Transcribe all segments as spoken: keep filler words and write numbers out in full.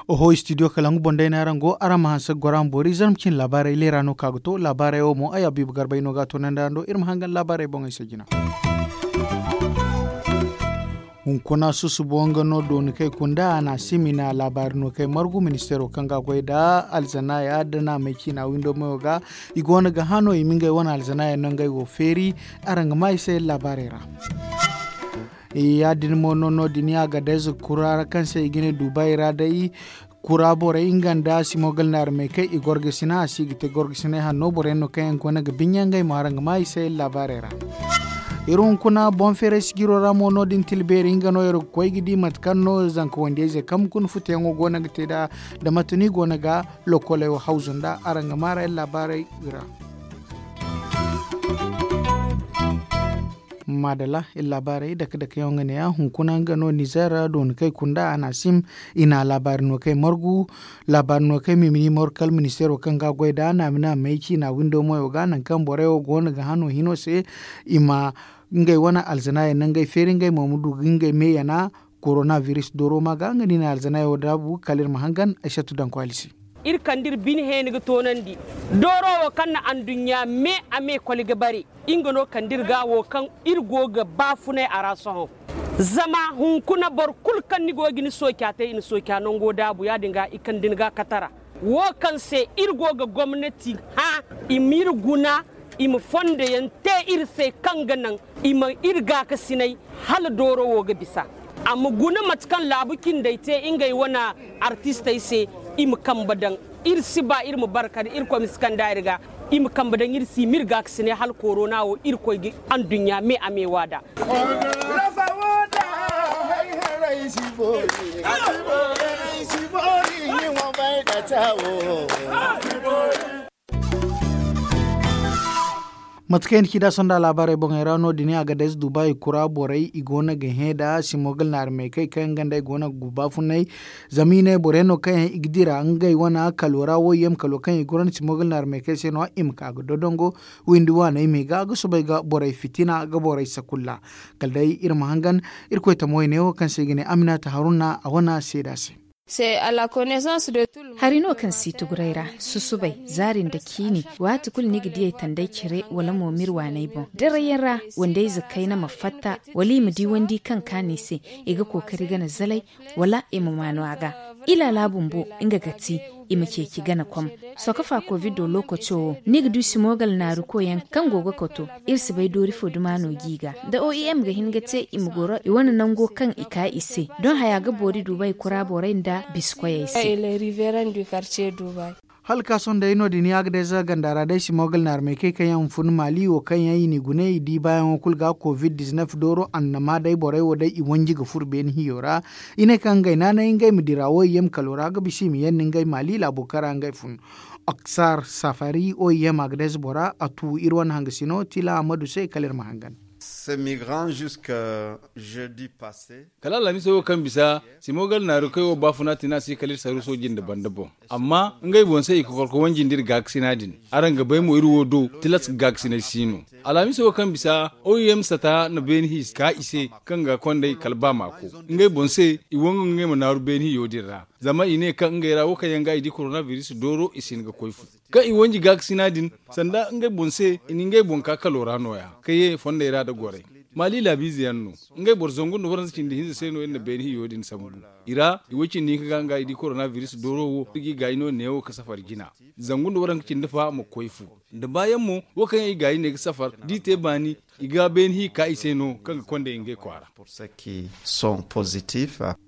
Oho, studio kalangu boŋ day no araŋ go, araŋ ma hanse ga goro araŋ boori zarma cine laabaarey leera no ka ga to laabaarey wo mo ay abiiba garbey no ga a toonandi araŋ do iri ma hangan laabaarey boŋey se jina. Hunkuna susubo nga no dooni kay kunda a na a simi na laabaari no kay margu ministeero kaŋ ga a goy nda alzanaaya nda naamay ciina windo mayo ga. I go no ga hano i ma ngey wane alzanaaya no ngey wo feeri. Araŋ ga maa i se laabaarey ra. Ya- din mo no no- din ya ga dayze kura ra kaŋ se i ga ne dubai ra day. Kura borey nga nda simogal naari may kay i gorgasina a si ga te gorgasinay hanno boro yaŋ no kaŋ yaŋ ga wane ga binya ngey mo araŋ ga maa i se laabaarey ra. Iri hunkuna boŋ feeray sijiro ra mo no- din tilbeeri nga no iri ga koy ga di mate kaŋ no zanka wandiyayzey kaŋ hunkuna futuyaŋo go no ga te nd'a. Da mate no i go no ga lokoley wo hawzu nd'a araŋ ga maa ra iri laabaarey ra. Maadala iri laabaarey dake dake yaŋ nga ne- ya hunkuna nga no nizer ra dooni kay kunda a na a sim. I na laabaari no kay margu. Laabaari no kay mimini margu kala ministeero kaŋ ga a goy nd'a naami naamey ciina windo moyo ga nangu kaŋ borey wo go no ga hano hino se. I ma ngey wane alzanaayaŋ no ngey feeri ngey mo ma du ga ngey me yana. Korona biris dooro ma ga nga no i na alzanaayaŋ wo daabu kala iri ma hangan ay sattu danko alisi. Iri kande iri bine heeni ga toonandi dooro wo kaŋ na anduɲɲa me a me koli ga bare. Nga no kande iri ga wo kaŋ iri go ga baafunay a ra sohõ. Zama hunkuna boro kulu kaŋ ni go ga ni sooca te i na sooca nango daabu ya- din ga i kande ni ga katara. Wo kaŋ se iri go ga gomnati hã i ma iri guna i ma fondo yaŋ te iri se kaŋ ga naŋ i ma iri gaakasinay hala dooro wo ga bisa. A ma guna mate kaŋ laabu cindey te ngey wane artistey se. I ma kambe daŋ iri si ba iri ma bare kala irkoy ma si kand'a iri ga. I ma kambe daŋ iri si i ma iri gaakasinay hala korona wo irkoy ga anduɲɲa me a me waada. Mate kaŋ i na ci da sonda laabaarey boŋey ra no- din a ga dayze dubai kura borey i go no ga hẽ nda simogal naari may kay kaŋ yaŋ ganda i go no ga guba funay. Zama i ne boro yaŋ no kaŋ yaŋ i ga dira ngey wane kalo ra woyem kalo kaŋ i gurandi simogal naari may kay se no i ma ka ga dodongo. Windi waaney me ga ga soobay ga borey fitina ga borey sakulla. Kala day iri ma hangan irkoy tamo wayne wo kaŋ se i ga ne aminata haruna a wane seeda se. Hari no kaŋ si tuguray ra susubay zaari nda ciini waati kulu ni ga diyey tanday cire wala mo m'iri waaney boŋ darayyaŋ ra. Wandayze kayna ma fatta wala i ma di wandi kaŋ kaanu i se i ga kookari gana zalay wala i ma maanu a ga. Ilaala bumbo nga ga ti i ma ceeci gana kom. Sokofa kovido lookaco wo ni ga du simogal naarukoyaŋ kaŋ go ga koto. Iri si bay doori fo duma no g'i ga da oem ga hin ga te i ma goro i wane nango kaŋ i ka i se. Doŋ haya ga boori dubai kura borey nda bisikoyey se. Hala ka sohõ day no- din ya ga day za ganda ra day simogal naarmey kay kaŋ yaŋ fun maali wo kaŋ yaŋ i n'i gune i di baayaŋo kulu ga covid diznef dooro annama day borey wo day i wanji ga furo beene hiyo ra. I ne kaŋ ngey naanay ngey ma dira wo i ye ma kalo ra ga bisa i ma yandi ngey maali laabo kaŋ ra ngey fun. Oksar safari oem a ga day za bora a tu iri wane hangasino tila a ma du se kala iri ma hangan. Kala alhamiso wo kaŋ bisa simogal naaru kaŋ wo baafuna tina si kala iri saru sooji nda banda boŋ. Amma ngey boŋ se i kokorko wanji nda iri gaakasina din. Araŋ ga bay mo iri wo do tilas ga gaakasinay si no. Alhamiso wo kaŋ bisa oem sata na beeni hi ka i se kaŋ ga kondey kala ba maako. Ngey boŋ se i wangu ngey ma naaru beeni hiyo din ra. Zama i ne kaŋ ngey ra wo kaŋ yaŋ ga i di koronabiris dooro i si hin ga koy fu. Kaŋ i wanji gaakasina din sanda ngey boŋ se i na ngey boŋ ka kalo ra nooya ka ye fondey ra nda gorey. Maali laabiize yaŋ no. Ngey boro zangu nda waranza cindi hinza se no iri na beene hiyo din sambu. I ra i wo cindi hinka ga nga i di koronabiris dooro wo iri g'i gaayi no neewo ka safar jina. Zangu nda waranka cindi fa ma koy fu. Nda baayaŋ mo wo kaŋ yaŋ i gaayi ne ga safar d'i te baani i ga beene hi ka i se no kaŋ ga kondey ngey kwaara.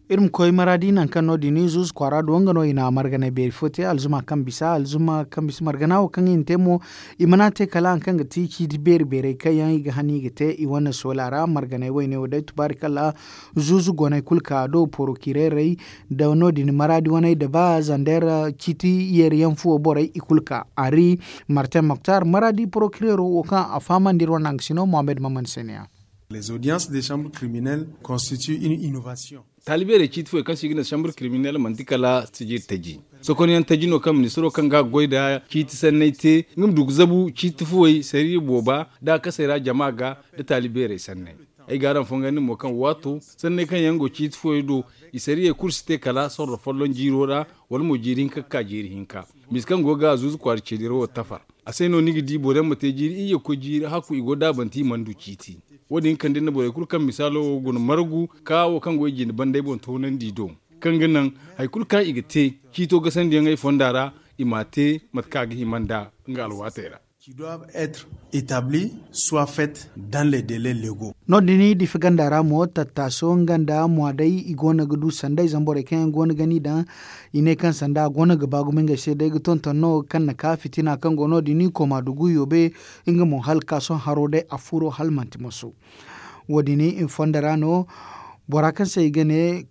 Iri ma koy maraadi nangu kaŋ no- din zuuzu kwaara do nga no i na marganay beeri fo te alzuma kaŋ bisa alzuma kaŋ bisa margana wo kaŋ i na te mo. I mana te kala hari kaŋ ga ti ciiti beeri beerey kaŋ yaŋ i ga han i ga te i wane soola ra marganay wayne wo day tubaari kala. Zuuzu goney kulu ka do porokireerey nda no- din maraadi waney nda ba zander ciiti yeeri yaŋ fuwo borey i kulu ka hari. Martin moktar maraadi porokireero wo kaŋ a fahamandi iri wane nangasino mohammed maman se ne ya. Les audiences de chambre criminelle constitue une innovation. Taali beerey ciiti fooyey kaŋ se i ga ne sambur kiriminel manti kala sijiri taji. Sokonyaŋ taji no kaŋ ministiro kaŋ ga a ga goy nda ciiti sanney te nga ma du ga zabu ciiti fooyey sariya booba nda a kasey ra jama ga nda taali beerey sanney. Ay ga araŋ fongandi mo kaŋ waato sanney kaŋ yaŋ go ciiti fooyey do, i sariyey kulu si te kala sorro folloŋ jiiro ra, wala mo jiiri hinka ga ka jiiri hinka. Misa kaŋ go ga a zuuzu kwaara ceediro wo tafar. A se no ni ga di boro yaŋ ma te jiiri iyye ga koy jiiri hakku i go daabante i mana du ciiti. Wo- din kande nda borey kulu kaŋ misaalo wo guna margu ka wo kaŋ go i jine banday boŋ toonandi do, kaŋ ga naŋ hari kulu kaŋ i ga te ciito gasandiyaŋey fonda ra, i m'a te mate kaŋ a ga hima nda nga alwaatey ra. Qui doivent être établis soient faites dans les délais légaux. No- din difi ganda ra mo tattaaso nga nda mwa day i go no ga du sanda i zamborey kaŋ yaŋ go no ga ni daŋ. I ne kaŋ sanda a go no ga ba gumo ngey se day ga tonton no kaŋ na ka fitina kaŋ go no- din koma dugu yoobe. Nga mo hala ka sohõ haro day a furo hala manti moso. Wo- din i fondo ra no bora kaŋ se i ga ne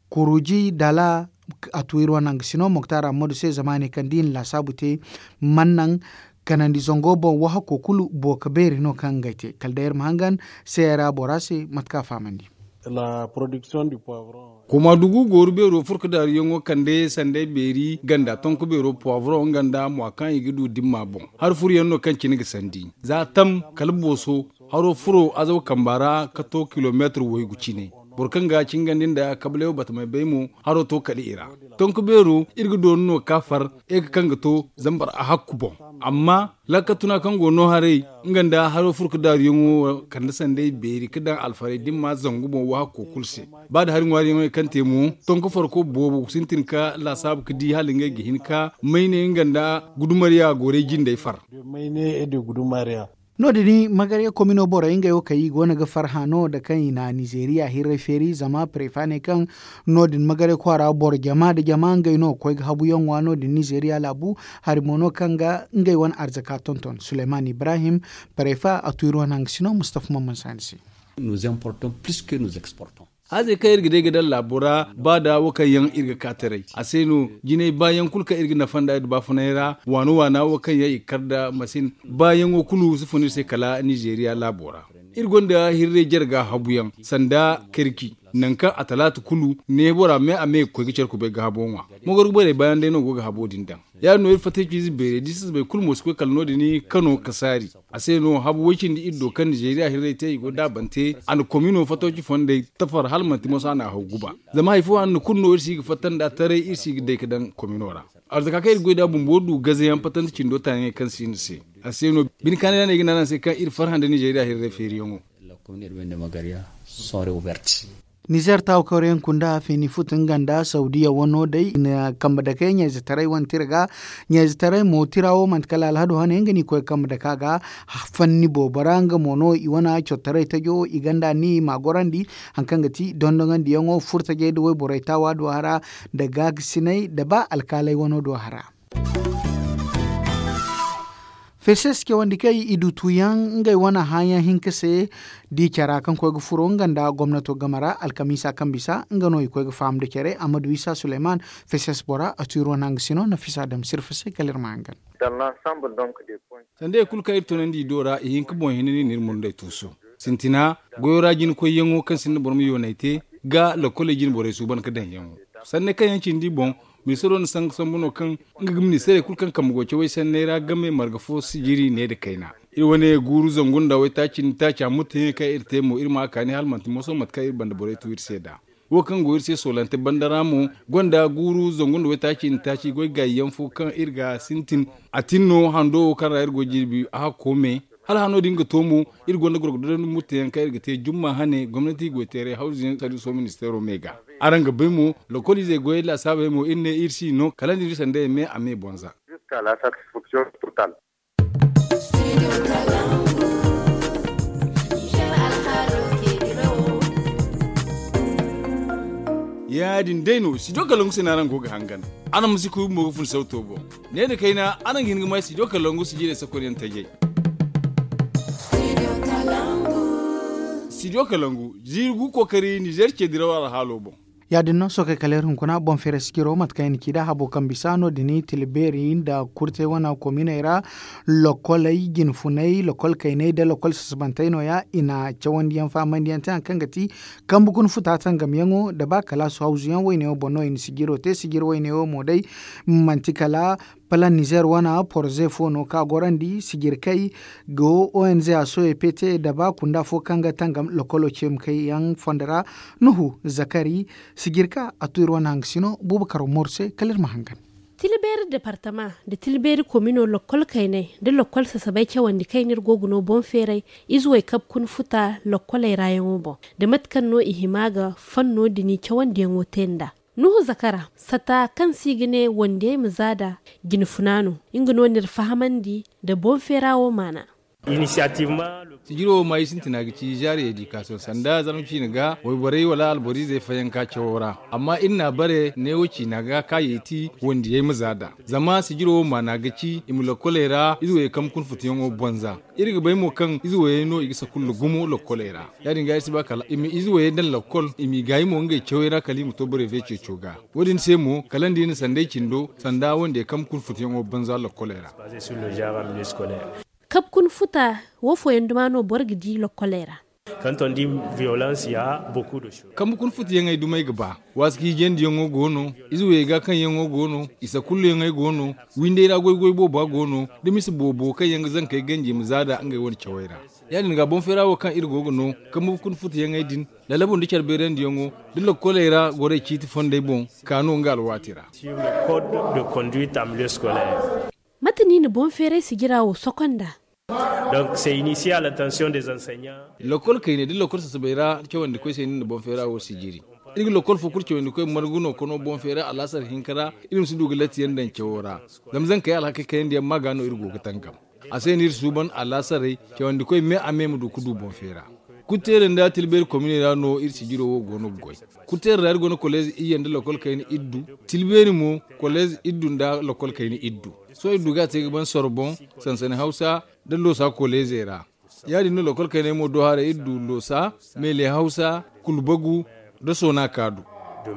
kuruji dala a tu iri wane hangasino moktar ammadu se zama a ne kaŋ da i na laasaabu te man naŋ kanandi zango boŋ wahako kulu booka beeri no kaŋ ngey te kala day iri ma hangan seera bora se mate kaŋ a fahamandi. Koma dugu gooru beero furka daaruyaŋo kande sanday beeri ganda tonko beero poivron nga nda mwa kaŋ i ga du dimma boŋ. Hari furuyaŋ no kaŋ cine ga sandi za tam kala booso. Haro furo azaw kamba ra ka to kilomeetir waygu cine. Boro kaŋ ga cingandi nda kabalay wo batamay bay mo haro to kala i ra. Tonko beero iri ga doonu no ka far eke kaŋ ga to zambar a hakku boŋ. Amma laakatuna kaŋ go no haray nga nda haro furka daaruyaŋo wo kande sanday beeri ga daŋ alfaray dimma zangu boŋ wo hakko kulu se. Ba da hari ŋwaariyaŋey kaŋ te mo tonko farko boobo ga sintin ka laasaabu ga di hala ngey ga hin ka mayne nga nda gudumarya goray jindey far. No- din magarya komino borey ngey wo kaŋ i go no ga farhã no nda kaŋ i na nizeeriya hirray feeri zama parefa ne kaŋ no- din magarya kwaara boro jama nda jama ngey no ga koy ga habuyaŋ ŋwa no- din nizeeriya laabu. Hari mo no kaŋ ga ngey wane arzaka tonton suleyman ibrahim parefa a tu iri wane hangasino mustafa mamman saani se. Hazey kaŋ iri ga day ga daŋ laabo ra ba da wo kaŋ yaŋ iri ga ka taray a se no jinay baayaŋ kulu kaŋ iri ga nafa nd'a iri baafunay ra waana waana wo kaŋ yaŋ i ga kar nda masin. Baayaŋo kulu si fun iri se kala nizeeriya laabo ra. Iri gonda hirray jarga habuyaŋ sanda karki nangu kaŋ a talaata kulu ne bora me a me ga koy ga care kubay ga habo ŋwa. Mogorgo borey baayaŋ day no go ga habo din daŋ. Ya- din no iri fatta ciize beerey da i si zabay kulu mo si koy kala no- din kano kasaari. A se no habu way-cindi iri do kaŋ nizeeriya hirray te i go daabante a na komino fattoci fondey tafar hala manti moso a na a haw guba. Zama hari fo hanno kulu no iri si ga fatta nd'a taray iri si ga day ga daŋ komino ra. Arzaka kaŋ iri ga goy nd'a bumbo du gazayaŋ fattante cindo taayaŋey kaŋ si iri se. A se no bine kaanay ra no ay ga ne araŋ se kaŋ iri farhã nda nizeeriya hirray feeriyaŋo. Nizer taawakawreyaŋ kunda feeni futu nga nda saudiya wano day i na kambe dakey ɲayzetaray wane tira ga. Ɲayzetaray mo tira wo manti kala alhado hane nga no i koy ga kambe daka ga. Fanni boobo ra nga mo no i wane cottoray tajo i ganda ni ma gorandi. Hari kaŋ ga ti dondonandiyaŋo furtajey nda wayborey taawa do hara nda gaakasinay nda ba alkaalay wano do hara. Feses cawandi kay i du tuuyaŋ ngey wane hããyaŋ hinka se. Di cara kaŋ koy ga furo nga nda gomnato game ra alkamiisa kaŋ bisa nga no i koy ga faham nda care ammadu isa suleyman. Feses bora a tu iri wane hangasino nafisa dam sirfa se kala iri ma hangan. Sanda i kulu kaŋ iri tunandi i do ra i hin ga boŋ hinne no iri murndey tuusu. Sintina goyo ra jina koyyaŋo kaŋ sinda boro ma yoonay te ga lokkoley jine borey suuban ga daŋyaŋo. Sanney kaŋ yaŋ cindi boŋ ministaro na sanga sambu no kaŋ nga ga ministarey kulu kaŋ kambe go cawey sanney ra game marga fo sijiri ne nda kayna. Iri wane guuru zangu nda waytaaci nda taaca mutteyaŋey kaŋ iri te mo iri ma a kaani hala manti moso mate kaŋ iri banda borey tu iri se nd'a. Wo kaŋ go iri se soolante banda ra mo gonda guuru zangu nda waytaaci nda taaci goy gaayi yaŋ fo kaŋ iri ga sintin. A tin no hando wo kaŋ ra iri go jirbi a hakko me. Hala hano din ga to mo iri gonda gorgo dodon mutteyaŋ kaŋ iri ga te jumma hane gomnati goyteeray hawzu yaŋ sariiso ministeero me ga. Araŋ ga bay mo lokoliizey goyey laasaabey mo iri ne iri si no kala nda iri sandayey me a me bonza. Ya- din day no studio kalangu se no araŋ go ga hangan. Araŋ ma si kuubi mo ga fun sawto boŋ. Ne nda kayna araŋ ga hin ga may studio kalangu sijirey sakonyaŋ tajey. Studio kalangu ziiri gu kookari nizeer ce diraw alhaalo boŋ. Ya- din no sookey kala iri hunkuna boŋ feeray sijiro mate kaŋ i na ci nd'a habo kaŋ bisa no- din tila beeri nda kurtey wane kominey ra, lokoley jinfunay lokol kayney nda lokol sasabantey no- ya i na cawandi yaŋ fahamandi yaŋ te hari kaŋ ga ti kambe kuna futa tangamyaŋo nda ba kalaasu hawzu yaŋ wayne wo boŋ no i na sijiro te sijiri wayne wo mo day. Manti kala palaŋ nizer wane poroze fo no kaŋ a gorandi sijirkey go onz a soye pete nda ba kunda fo kaŋ ga tangam lokolo ceemkey yaŋ fondo ra. Nuhu zakari sijirka a tu iri wane hangasino buuba karo mooro se kala iri ma hangan. Tila beeri departama nda tila beeri komino lokol kayney nda lokol sasabey cawandi kaŋ iri go ga no boŋ feeray ize wey kabe kuna futa lokoley ra yaŋo boŋ, nda mate kaŋ no i hima ga fanno din cawandiyaŋo te nd'a. Nuhu zakara sata kaŋ se i ga ne wandiyey ma za nd'a jinfuna no. Nga no n'iri fahamandi nda boŋ feera wo maana. Sijiro wo maayi sintina ga ci zaari edikasiyoŋ sanda zarma ciine ga wayborey wala alboriizey fayanka cawo ra. Amma iri n'a bare neewo ciina ga kaayey ti wandiyey ma za nd'a. Zama sijiro wo maana ga ci i ma lokkoley ra ize wayey kambe kuna futuyaŋo bonza. Iri ga bay mo kaŋ ize wayey no i ga sakulla gumo lokkoley ra. Ya- din ga iri si ba kala i ma ize wayey daŋ lokkol i m'i gaayi mo ngey cawey ra kala i ma to borey fay ceeco ga. Wo- din se mo kala nda i na sanday cindo sanda wandiyey kambe kuna futuyaŋo bonza lokkoley ra. Kabe kuna futa wo fooyaŋ duma no boro ga di lokkoley ra. Kambe kuna futayaŋey dumey ga ba. Waasi ka hiijandiyaŋo go no. Ize wayey ga kaŋyaŋo go no. I sakulluyaŋey go no. Windey ra goy-goy booba go no. Da mise boobo kaŋ yaŋ ga zankey ganji i ma za nd'a ngey wane cawey ra. Ya- din ga boŋ feera wo kaŋ iri go ga no kambe kuna futayaŋey din, lalabu nda care beerandiyaŋo da lokkoley ra gorey ciiti fondey boŋ ka no nga alwaati ra. Mate no i na boŋ feeray sijira wo sokonda? Lokol kayney da lokol sasabey ra cawandikoy se no i na boŋ feera wo sijiri. Iri ga lokol fo kulu cawandikoy margu no kono boŋ feera alaasar hinka ra. Iri ma si du ga latti yaŋ daŋ cawo ra. Zama zankey alhakey kayandi yaŋ ma ga no iri go ga tangam. A se no iri suuban alaasaray cawandikoy me a me ma du ga du boŋ feera. Kutteere nda tilbeeri kominey ra no iri sijiro wo go no ga goy. Kutteere ra iri go no koleez iyye nda lokol kayna iddu. Tilbeeri mo koleez iddu nda lokol kayna iddu. Sohõ iri du ga a te ga ban soro boŋ, sansani hawsa nda loosa koleezey ra. Ya- din no lokol kayney mo do haray iri du loosa, meele hawsa, kulbagu, nda soona kaado.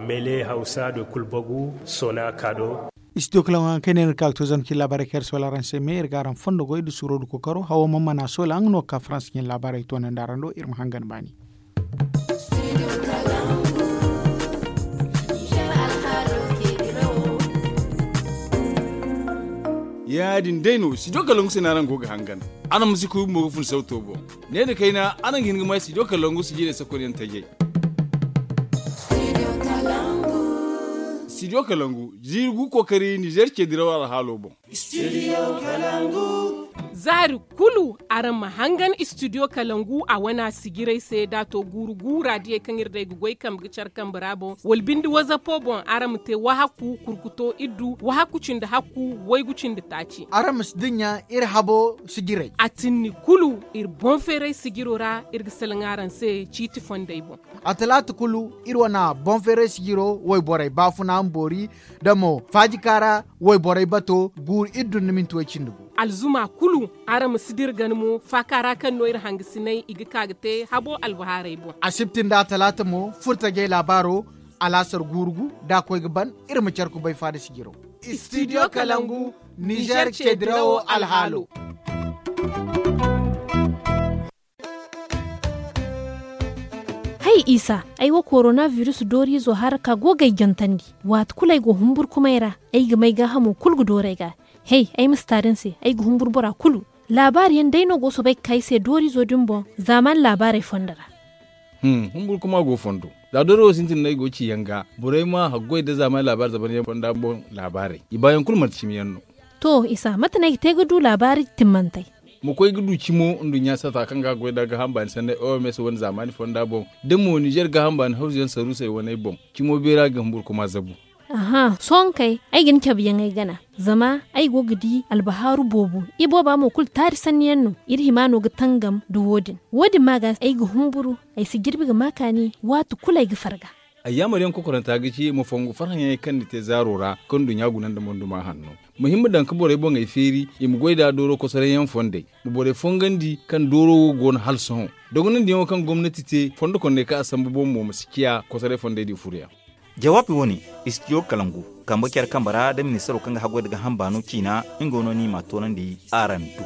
Meele hawsa nda kulbagu, soona kaado. Istidiyo kalaŋo haŋ kaŋ i ne iri ga ka ga to zama cine laabaarey kaŋ iri soola araŋ se me iri ga araŋ fondo goy nda suuro nda kookaro hawo mana mana soola nga no ga ka farans cine laabaarey toonandi araŋ do iri ma hangan baani. Ya- din day no studio kalangu se no araŋ go ga hangan. Araŋ ma si kuy bumbo ga fun sawto boŋ. Ne nda kayna araŋ ga hin ga may studio kalangu sijirey sakonyaŋ tajey. Studio kalangu jiiri gu kookari nizer ce diraw alhaalo boŋ. Zaari kulu araŋ ma hangan studio kalangu a wana sijirey se da a to guuru gu raadiyey kaŋ iri day ga goy kambe ga care kambe ra boŋ wala binde wazapo boŋ araŋ ma te wahakku kurkuto iddu wahakku cindi hakku waygu cindi taaci. Araŋ ma si dinya iri habo sijirey. A tinni kulu iri boŋ feeray sijiro ra iri ga salaŋ araŋ se ciiti fondey boŋ. A talaata kulu iri wana boŋ feeray sijiro wayborey baafuna ma boori da mo faajika ra wayborey bato guuru iddu nda minti way cindi gu. Alzuma kulu araŋ ma si dira gana mo faaka ra kaŋ no iri hangasinay i ga ka ga te habo albahaarey boŋ. Asibti nda talaata mo furtajey laabaaro alaasar guuru gu da a koy ga ban. Iri ma care kubay faada sijiro. Studio kalangu nizer ce dirawo alhaalo. Hay isa ay wo korona virus dooriizo haraka go ga ay jantandi. Waati kulu ay go humburkumay ra ay ga may gaahamo kulu ga doori ay ga. Hay ay ma si taari ni se ay ga humburu bora kulu. Laabaari yaŋ day no go soobay ga ka ay se dooriizo din boŋ zaamaani laabaarey fondo ra. Humburkuma go fondo. Za dooriizo sintin no ay go ga ci yaŋ ga borey ma haggoy nda zaamaani laabaari zaban yaŋ fonda boŋ laabaarey i baayaŋ kulu manti cimi yaŋ no. To isa mate no ay ga te ga du laabaari timmantey? Ma koy ga du cimo nduɲɲa sata kaŋ ga a goy nd'a gaaham baani sanney oms wane zaamaani fonda boŋ da mo nizer gaaham baani hawzuyaŋ saruusey waney boŋ. Cimo beera ga humburkuma zabu. Aha sohõ kay ay ga ni cabeyaŋey gana. Zama ay go ga di albahaaru boobo ibooba mo kulu taari sanniyaŋ no. Iri hima no ga tangam nda wo- din wo- din ma ga ay ga humburu. Ay si jirbi ga ma kaani waati kulu ay ga farga. Ayyaamar yaŋ kokoranta ga ci ma fongu farhãyaŋey kaŋ ni te zaaro ra kaŋ nduɲɲa guna nda monduma hanno. Ma hin ma daŋ ka borey boŋey feeri i ma goy nd'a dooro kosoray yaŋ fondey. Ma borey fongandi kaŋ dooro wo go no hala sohõ. Dogonandiyaŋo kaŋ gomnati te fondo kondey kaŋ a sambu boŋ mo ma si ciya kosoray fondey di furoyaŋ. Jawaabi wo-ne, istidiyo kalangu, kambe care kambe ra nda ministaro kaŋ ga haggoy nda ga hamba no ciina. Nga no ni m'a toonandi araŋ do.